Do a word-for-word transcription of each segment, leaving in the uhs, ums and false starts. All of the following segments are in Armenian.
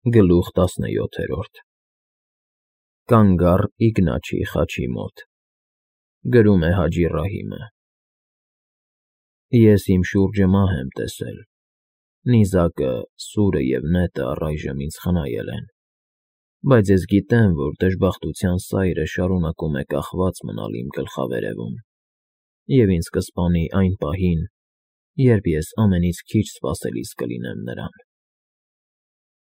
Գլուխ տասնյոթերորդ Կանգ առ Իգնաչի խաչի մոտ, գրում է Հաջի Ռահիմը։ Ես իմ շուրջը մահ եմ տեսել, նիզակը, սուրը և նետը առայժմ ինձ խնայել են, բայց ես գիտեմ, որ դժբախտության սայրը շարունակում է կախված մնալ իմ գլխավերևում և ինձ կսպանի այն պահին, երբ ես ամենից քիչ սպասելիս կլինեմ նրան։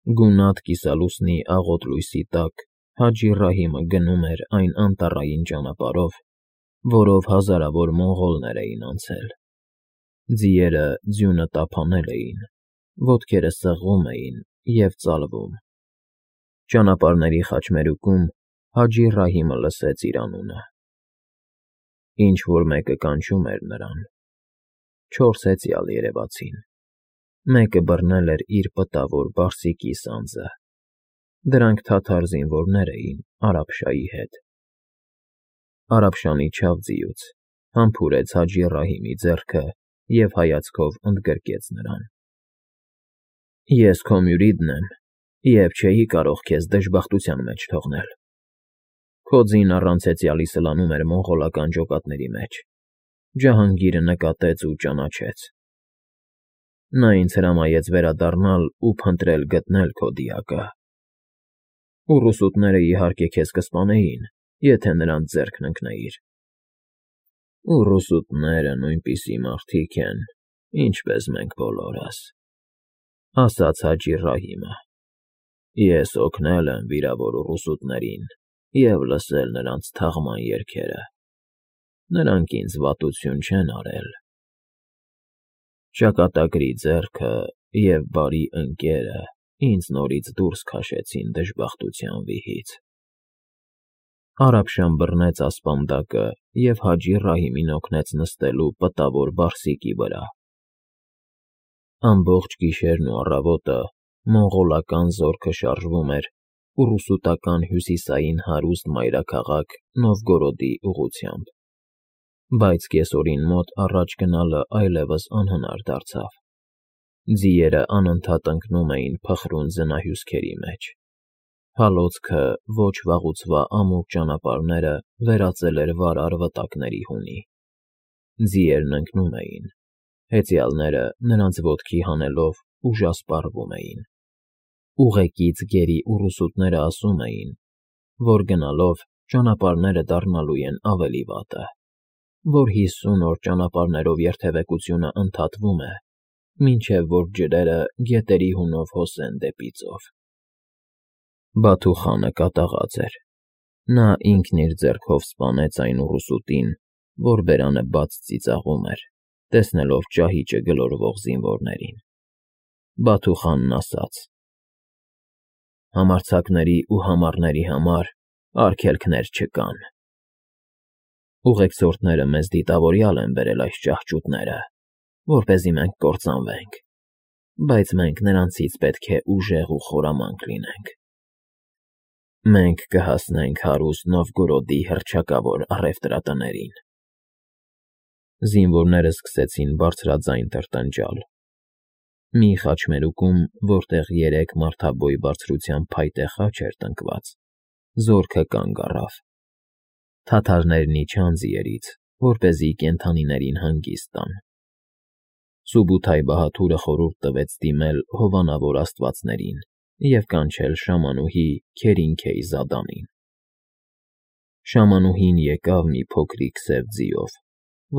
Գունատ կիսալուսնի աղոտ լույսի տակ Հաջի Ռահիմը գնում էր այն անտառային ճանապարհով, որով հազարավոր մոնղոլներ էին անցել։ Ձիերը ձյունը տափանել էին, ոտքերը սեղվում էին և ծալվում։ Ճանապարհների խաչմերուկում Հաջի Ռահիմը լսեց իր անունը։ Ինչ֊որ մեկը կանչում էր նրան։ Չորս հեծյալ երևացին։ Մեկը բռնել էր իր պտավոր բարսիկի սանձը։ Դրանք թաթար զինվորներ էին Արաբշայի հետ։ Արաբշան իջավ ձիուց, համբուրեց Հաջի Ռահիմի ձեռքը և հայացքով ընդգրկեց նրան։ Ես քո մյուրիդն եմ և չէի կարող քեզ դժբախտության մեջ թողնել։ Քո ձին առանց հեծյալի սլանում էր մոնղոլական ջոկատների մեջ։ Ջահանգիրը նկատեց ու ճանաչեց։ Նա ինձ հրամայեց վերադառնալ ու փնտրել գտնել քո դիակը։ Ուռուսուտները, իհարկե, քեզ կսպանեին, եթե նրանց ձեռքն ընկնեիր։ Ուռուսուտները նույնպիսի մարդիկ են, ինչպես մենք բոլորս, ասաց Հաջի Ռահիմը։ Ես օգնել եմ վիրավոր ուռուսուտներին և լսել նրանց թաղման երգերը։ Նրանք ինձ վատություն չեն արել։ Ճակատագրի ձեռքը և բարի ընկերը ինձ նորից դուրս քաշեցին դժբախտության վիհից։ Արաբշան բռնեց ասպանդակը և Հաջի Ռահիմին օգնեց նստելու պտավոր բարսիկի վրա։ Ամբողջ գիշերն ու առավոտը մոնղոլական զորքը շարժվում էր ուռուսուտական հյուսիսային հարուստ մայրաքաղաք Նովգորոդի ուղղությամբ, բայց կեսօրին մոտ առաջ գնալը այլևս անհնար դարձավ։ Ձիերը անընդհատ ընկնում էին փխրուն ձնահյուսքերի մեջ։ Հալոցքը ոչ վաղուց վա ամուր ճանապարհները վերածել էր վարար վտակների հունի։ Ձիերն ընկնում էին, հեծյալները նրանց ոտքի հանելով ուժասպառվում էին։ Ուղեկից գերի ուռուսուտները ասում էին, որ գնալով ճանապարհները դառնալու են ավելի վատը, որ հիսուն օր ճանապարհներով երթևեկությունը ընդհատվում է, մինչև որ ջրերը գետերի հունով հոսեն դեպի ծով։ Բաթու խանը կատաղած էր։ Նա ինքն իր ձեռքով սպանեց այն ուռուսուտին, որ բերանը բաց ծիծաղում էր, տեսնելով ճահիճը գլորվող զինվորներին։ Բաթու խանն ասաց. Համարձակների ու համառների համար արգելքներ չկան։ Ուղեկցորդները մեզ դիտավորյալ են բերել այս ճահճուտները, որպեսզի մենք կործանվենք, բայց մենք նրանցից պետք է ուժեղ ու խորամանկ լինենք։ Մենք կհասնենք հարուստ Նովգորոդի հռչակավոր առևտրատներին։ Զինվորները սկսեցին բարձրաձայն տրտնջալ։ Մի խաչմերուկում, որտեղ երեք մարդաբոյ բարձրության փայտե խաչ էր տնկված, զորքը կանգ առավ։ Թաթարներն իջան ձիերից, որպեսզի կենդանիներին հանգիստ տան։ Սուբութայ բահադուրը խորհուրդ տվեց դիմել հովանավոր աստվածներին և կանչել շամանուհի Քերինքեյզադանին։ Շամանուհին եկավ մի փոքրիկ սև ձիով,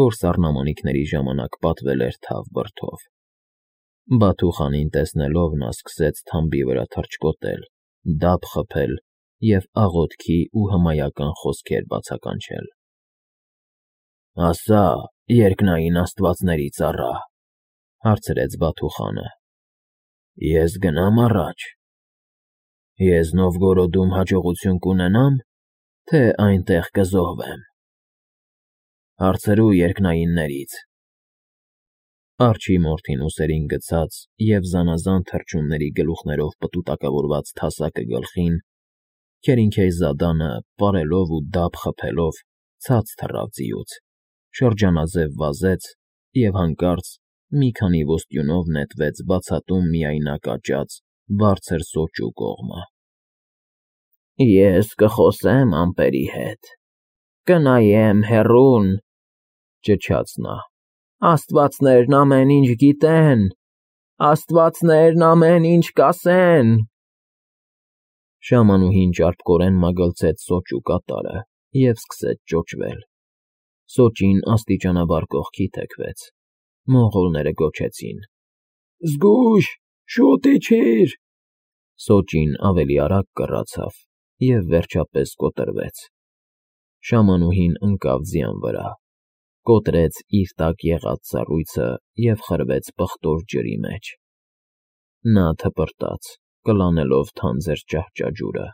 որ սառնամանիքների ժամանակ պատվել էր թավ բրդով։ Բաթու խանին տեսնելով նա սկսեց թամբի վրա թռչկոտել, դափ խփել և աղոթքի ու հմայական խոսքեր բացականչել։ Ասա, երկնային աստվածների ծառա, հարցրեց Բաթու խանը, ես գնա՞մ առաջ։ Ես Նովգորոդում հաջողություն կունենա՞մ, թե այնտեղ կզոհվեմ։ Հարցրու երկնայիններից։ Արջի մորթին ուսերին գցած և զանազան թռչունների գլուխներով պտուտակավորված թասակը գլխին, Քերինքեյզադանը, պարելով ու դափ խփելով, ցած թռավ ձիուց, շրջանաձև վազեց և հանկարծ մի քանի ոստյունով նետվեց բացատում միայնակ աճած բարձր սոճու կողմը։ Ես կխոսեմ ամպերի հետ, կնայեմ հեռուն, ճչաց նա, աստվածներն ամեն ինչ գիտեն, աստվածներն ամեն ինչ կասեն։ Շամանուհին ճարպկորեն մագլցեց սոճու կատարը և սկսեց ճոճվել։ Սոճին աստիճանաբար կողքի թեքվեց։ Մոնղոլները գոչեցին. Զգույշ, շուտ իջիր։ Սոճին ավելի արագ կռացավ և վերջապես կոտրվեց։ Շամանուհին ընկավ ձյան վրա, կոտրեց իր տակ եղած սառույցը և խրվեց պղտոր ջրի մեջ։ Նա թպրտաց, կլանելով թանձր ճահճաջուրը։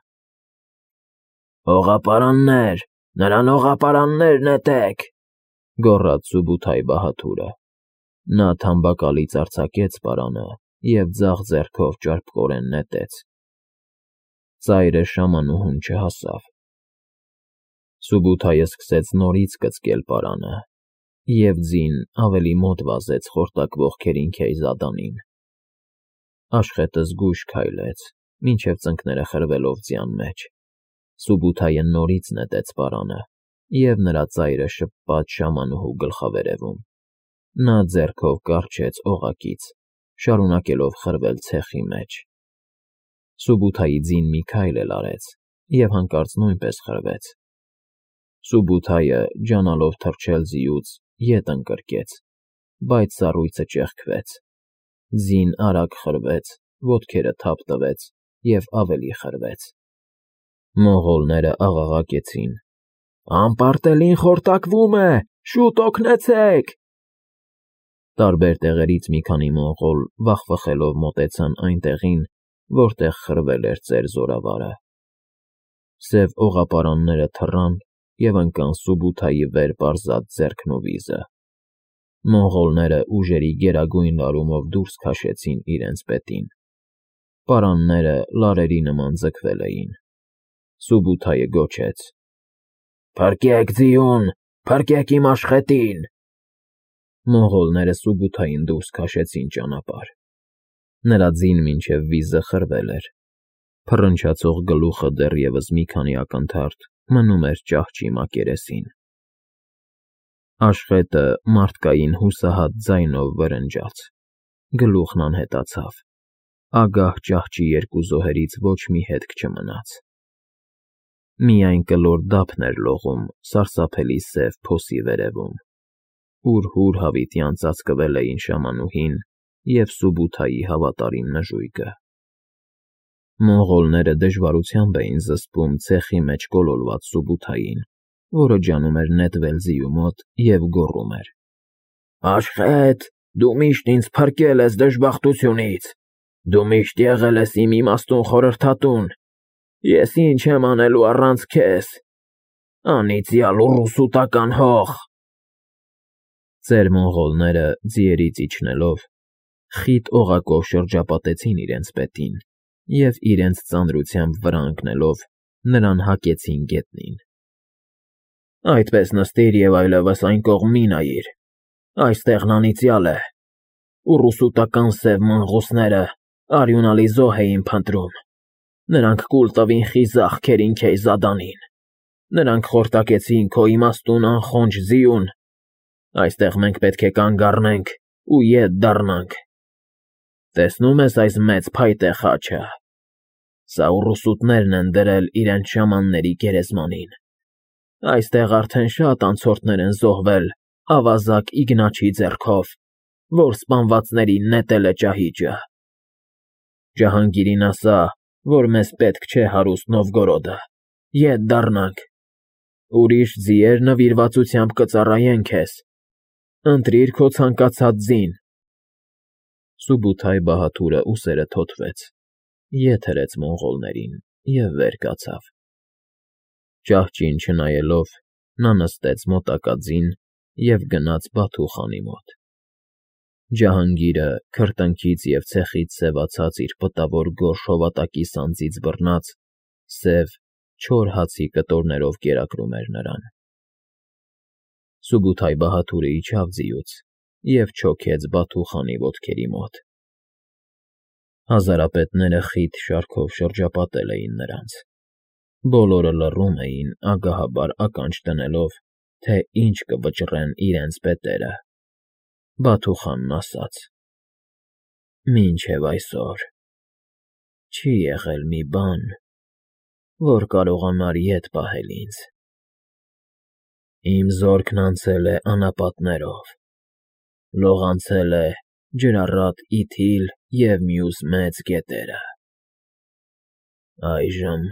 Հողապարաններ, նրան հողապարաններ նետեք, գոռաց Սուբութայի բահաթուրը։ Նա թամբակալից արձակեց պարանը և ձախ ձեռքով ճարպկորեն նետեց։ Ծայրը շամանուհուն չհասավ։ Սուբութայը սկսեց նորից կծկել պարանը, և ձին ավելի մոտ վազեց խորտակվող Քերինքեյզադանին։ Աշխետը զգույշ քայլեց, մինչև ծնկները խրվելով ձյան մեջ։ Սուբութայը նորից նետեց պարանը, և նրա ծայրը շպաց շամանուհու գլխավերևում։ Նա ձեռքով կառչեց օղակից, շարունակելով խրվել ցեխի մեջ։ Սուբութայի ձին մի քայլ էլ արեց և հանկարծ նույնպես խրվեց։ Սուբութայը, ջանալով թռչել ձիուց, ետ ընկրկեց, բայց սառույցը ճեղքվեց։ Ձին արագ խրվեց, ոտքերը թափ տվեց և ավելի խրվեց։ Մոնղոլները աղաղակեցին. Անպարտելին խորտակվում է, շուտ օգնեցեք։ Տարբեր տեղերից մի քանի մոնղոլ վախվխելով մոտեցան այն տեղին, որտեղ խրվել էր ծեր զորավարը։ Սև օղապարանները թռան և ընկան Սուբութայի վեր պարզած ձեռքն ու վիզը։ Մոնղոլները ուժերի գերագույն լարումով դուրս քաշեցին իրենց պետին։ Պարանները լարերի նման ձգվել էին։ Սուբութայը գոչեց. Փրկեք ձիուն, փրկեք իմ աշխետին։ Մոնղոլները Սուբութային դուրս քաշեցին ճանապարհ։ Նրա ձին մինչև վիզը խրվել էր։ Փռնչացող գլուխը դեռևս մի քանի ակնթարթ մնում էր ճահճի մակերեսին։ Աշխետը մարդկային հուսահատ ձայնով վրնջաց։ Գլուխն անհետացավ։ Ագահ ճահճի երկու զոհերից ոչ մի հետք չմնաց։ Միայն կլոր դափն էր լողում սարսափելի սև փոսի վերևում, ուր հուր հավիտյան ծածկվել էին շամանուհին և Սուբութայի հավատարիմ նժույգը։ Մոնղոլները դժվարությամբ էին զսպում ցեխի մեջ կոլորված Սուբութային, որը ջանում էր նետվել ձիու մոտ և գոռում էր. Աշխետ, դու միշտ ինձ փրկել ես դժբախտությունից, դու միշտ եղել ես իմ իմաստուն խորհրդատուն, ես ինչ եմ անելու առանց քեզ, անիծյալ ուռուսուտական հող։ Ծեր մոնղոլները, ձիերից իջնելով, խիտ օղակով շրջապատեցին իրենց պետին և իրենց ծանրությամբ վրա ընկնելով նրան հակեցին գետնին։ Այդպես նստիր և այլևս այն կողմ մի նայիր, այստեղն անիծյալ է, ուռուսուտական սև մնղոսները արյունալի զոհ էին փնտրում, նրանք կուլ տվին խիզախ Քերինքեյզադանին, նրանք խորտակեցին քո իմաստուն անխոնջ ձիուն, այստեղ մենք պետք է կանգ առնենք ու ետ դառնանք։ Տեսնո՞ւմ ես այս մեծ փայտե խաչը, սա ուռուսուտներն են դրել իրենց շամանների գերեզմանին, այստեղ արդեն շատ անցորդներ են զոհվել ավազակ Իգնաչի ձեռքով, որ սպանվածներին նետել է ճահիճը։ Ջահանգիրին ասա, որ մեզ պետք չէ հարուստ Նովգորոդը, ետ դառնանք, ուրիշ ձիեր նվիրվածությամբ կծառայեն քեզ, ընտրիր քո ցանկացած ձին։ Սուբութայ բահաթուրը ուսերը թոթվեց, ետ հրեց մոնղոլներին և վեր կացավ։ Ճահճին չնայելով, նա նստեց մոտակա ձին և գնաց Բաթու խանի մոտ։ Ջահանգիրը քրտինքից և ցեխից սևացած իր պտավոր գորշ հովատակի սանձից բռնած, սև, չոր հացի կտորներով կերակրում էր նրան։ Սուբութայ բահաթուրը իջավ ձիուց և չոքեց Բաթու խանի ոտքերի մոտ։ Հազարապետները խիտ շարքով շրջապատել էին նրանց, բոլորը լռում էին, ագահաբար ականջ դնելով, թե ինչ կվճռեն իրենց պետերը, Բաթուխանն ասաց. «Մինչև այսօր չի եղել մի բան, որ կարողանար ետ պահել ինձ. իմ զորքն անցել է անապատներով, լողանցել է Ջրառատ Իթիլ և մյուս մեծ գետերը, այժմ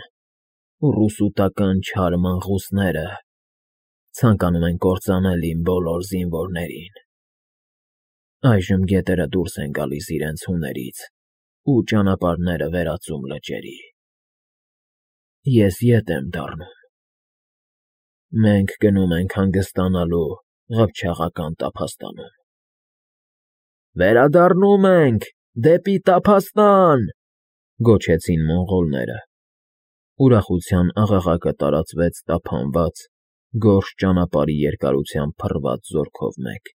ուռուսուտական չար մնղուսները ցանկանում են կործանել իմ բոլոր զինվորներին, այժմ գետերը դուրս են գալիս իրենց հուներից ու ճանապարհները վերածում լճերի, ես ետ եմ դառնում, մենք գնում ենք հանգստանալու Ղփչաղական տափաստանում»։ «Վերադառնում ենք դեպի տափաստան», գոչեցին մոնղոլները։ Ուրախության աղաղակը տարածվեց տափանված, գորշ ճանապարհի երկարությամբ փռված զորքով մեկ։